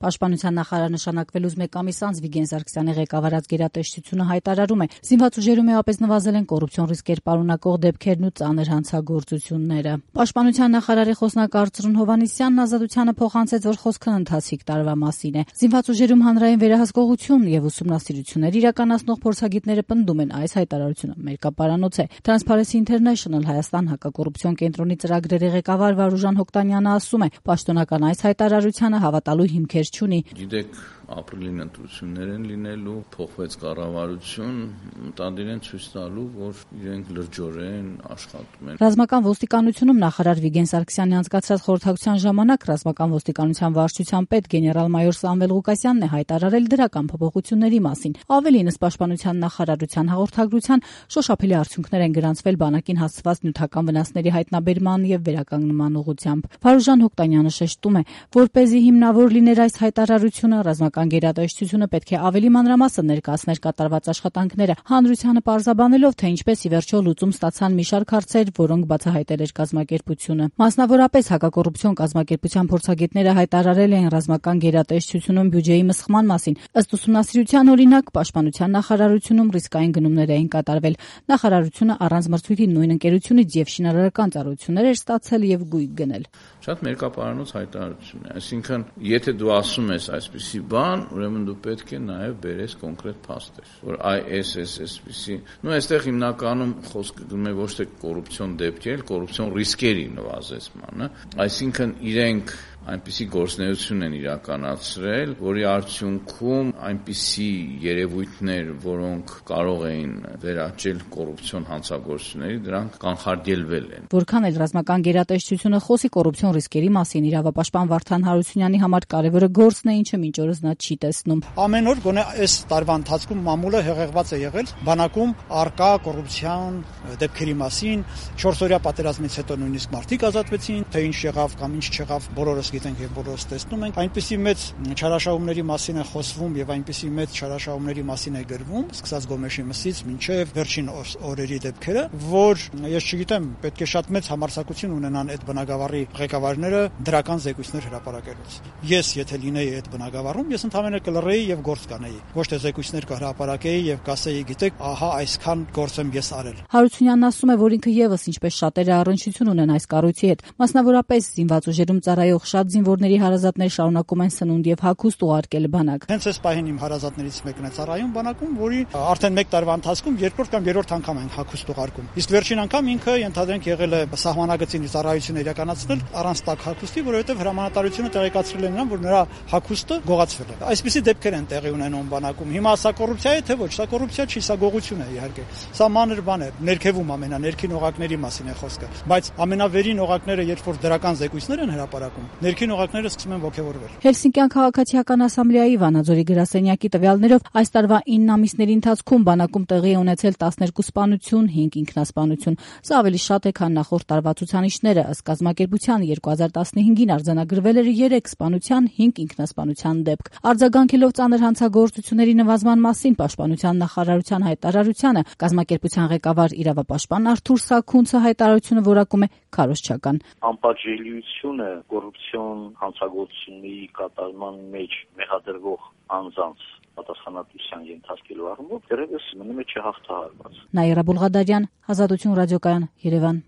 Պաշտպանության նախարար նշանակվելուց մեկ ամիս անց Վիգեն Սարգսյանի ղեկավարած գերատեսչությունը հայտարարում է, զինված ուժերում էապես նվազել են կոռուպցիոն ռիսկեր պարունակող դեպքերն ու ծանր հանցագործությունները։ Պաշտպանության նախարարի խոսնակ Արծրուն Հովհաննիսյանն Ազատությանը փոխանցեց, որ խոսքն ընթացիկ տարվա մասին է։ Զինված ուժերում հանրային վերահսկողություն եւ ուսումնասիրություններ իրականացնող փորձագետները պնդում են, այս հայտարարությունը մերկապարանոց է։ Transparency International Հայաստան հակակոռուպցիոն կենտրոնի ծրագրերի ղեկավար Վարուժան Հոկտանյանը ասում է, պաշտոնական այս հայտարարությանը հավատալու հիմքեր չունի։ Գիտեք, ապրիլին ընտրություններ են լինելու, փոխվեց կառավարություն, մտադիր են ցույց տալու, որ իրենք լրջորեն աշխատում են։ Ռազմական ոստիկանությունում նախարար Վիգեն Սարգսյանի անցկացրած խորհրդակցության ժամանակ ռազմական ոստիկանության վարչության պետ գեներալ-մայոր Սամվել Ղուկասյանն է հայտարարել դրական փոփոխությունների մասին։ Ավելին, ըստ պաշտպանության նախարարության հաղորդագրության, շոշափելի արդյունքներ են գրանցվել բանակին հասցված նյութական վնասների հայտնաբերման եւ վերականգնման ուղղությամբ։ Վարուժան Հոկտանյանը շեշտում է, որպեսզի հիմնավոր լիներ այս հայտարարությունը, ռազմական գերատեսչությունը պետք է ավելի մանրամասն ներկայացներ կատարված աշխատանքները, հանրությանը պարզաբանելով, թե ինչպես ի վերջո լուծում ստացան մի շարք հարցեր, որոնք բացահայտել էր կազմակերպությունը։ Մասնավորապես հակակոռուպցիոն կազմակերպության փորձագետները հայտարարել են ռազմական գերատեսչությունում բյուջեի մսխման մասին։ Ըստ ուսումնասիրության օրինակ, պաշտպանության նախարարությունում ռիսկային գնումներ էին կատարվել։ Նախարարությունը առանց մրցույթի նույն ընկերությունից եւ շինարարական ծառայություններ էր ստացել եւ գույք գնել։ Շատ մերկապարանոց հայտարարություն է, այսինքն, եթե դու ասում ես այսպիսի բան, ուրեմն դու պետք է նաև բերես կոնկրետ փաստեր, որ այսպիսի, այստեղ հիմնականում խոսքը գնում է ոչ թե կոռուպցիոն դեպքեր, կոռուպցիոն ռիսկերի նվազեցմանը, այսինքն իրենք այնպիսի գործունեություն են իրականացրել, որի արդյունքում այնպիսի երևույթներ, որոնք կարող էին վերաճել կոռուպցիոն հանցագործությունների, դրանք կանխարգելվել են։ Որքան էլ ռազմական գերատեսչությունը խոսի կոռուպցիոն ռիսկերի մասին, իրավապաշտպան Վարդան Հարությունյանի համար կարևորը գործն է, ինչը մինչ օրս նա չի տեսնում։ Ամեն օր գոնե այս տարվա ընթացքում մամուլը հեղեղված է եղել բանակում արկա կոռուպցիոն դեպքերի մասին, 4-օրյա պատերազմից հետո նույնիսկ մարդիկ ազատվեցին, թե ինչ եղավ կամ ինչ չեղավ, բոլորս գիտենք եւ բոլորս տեսնում ենք, այնպիսի մեծ չարաշահումների մասին է խոսվում եւ այնպիսի մեծ չարաշահումների մասին է գրվում, սկսած Գոմեշի մսից մինչեւ վերջին օրերի դեպքերը, որ ես չգիտեմ, պետք է շատ մեծ համարձակություն ունենան այդ բնակավարի ղեկավարները դրական զեկույցներ հրապարակելուց։ Ես եթե լինեի այդ բնակավարում, ես ընդհանրապես կլռեի եւ գործ կանեի։ Ոչ թե զեկույցներ կհրապարակեի եւ կասեի, գիտեք, ահա այսքան գործ եմ ես արել։ Հարությունյանն ասում է, որ ինքը եւս ինչպես շատերը առնչություն ունեն այս կառույցի հետ, մասնավորապես զինված ուժերում ծառայող շատ զինվորների հարազատներ շարունակում են սնունդ եւ հագուստ ուղարկել բանակ։ Հենց այս պահին իմ հարազատներից մեկն է ծառայում բանակում, որի արդեն 1 տարվա ընթացքում երկրորդ կամ երրորդ անգամ են հագուստ ուղարկում։ Իսկ վերջին անգամ ինքը ենթադրենք եղել է սահմանագծին ծառայություն իրականացնել առանց տակ հագուստի, որովհետեւ հրամանատարությունը տեղեկացրել է նրան, որ նրա հագուստը գողացվել է։ Այսպիսի դեպքեր են տեղի ունենում բանակում։ Հիմա սա կոռուպցիա է, թե ոչ, սա կոռուպցիա չի, սա գողություն է իհարկե։ Սա մանր բան է, ներքևում ամենաներքին օղակների մասին է խոսքը, բայց ամենավերին օղակները, երբ որ դրական զեկույցներ են հրապարակում, ներքին օղակները սկսում են ոգևորվել։ Հելսինկյան քաղաքացիական ասամբլեայի Վանաձորի գրասենյակի տվյալներով այս տարվա 9 ամիսների ընթացքում բանակում տեղի է ունեցել 12 սպանություն, 5 ինքնասպանություն։ Սա ավելի շատ է, քան նախորդ տարվա ցուցանիշները, ըստ կազմակերպության 2015-ին արձանագրվել էր 3 սպանության, 5 ինքնասպանության դեպք։ Արձագանքելով ծանր հանցագործությունների նվազման մասին պաշտպանության նախարարության հայտարարությանը, կազմակերպության ղեկավար իրավապաշտպան Արթուր Սաքունցը հայտարարությունը որակում է քարոզչական։ Անպատժելիությունը կոռուպցիոն հանցագործությունների կատարման մեջ մեղադրվող անձանց պատասխանատվության ենթարկելու առումով դեռևս մնում է չհաղթահարված։ Նաիրա Բուլղադարյան, Ազատություն ռադիոկայան, Երևան։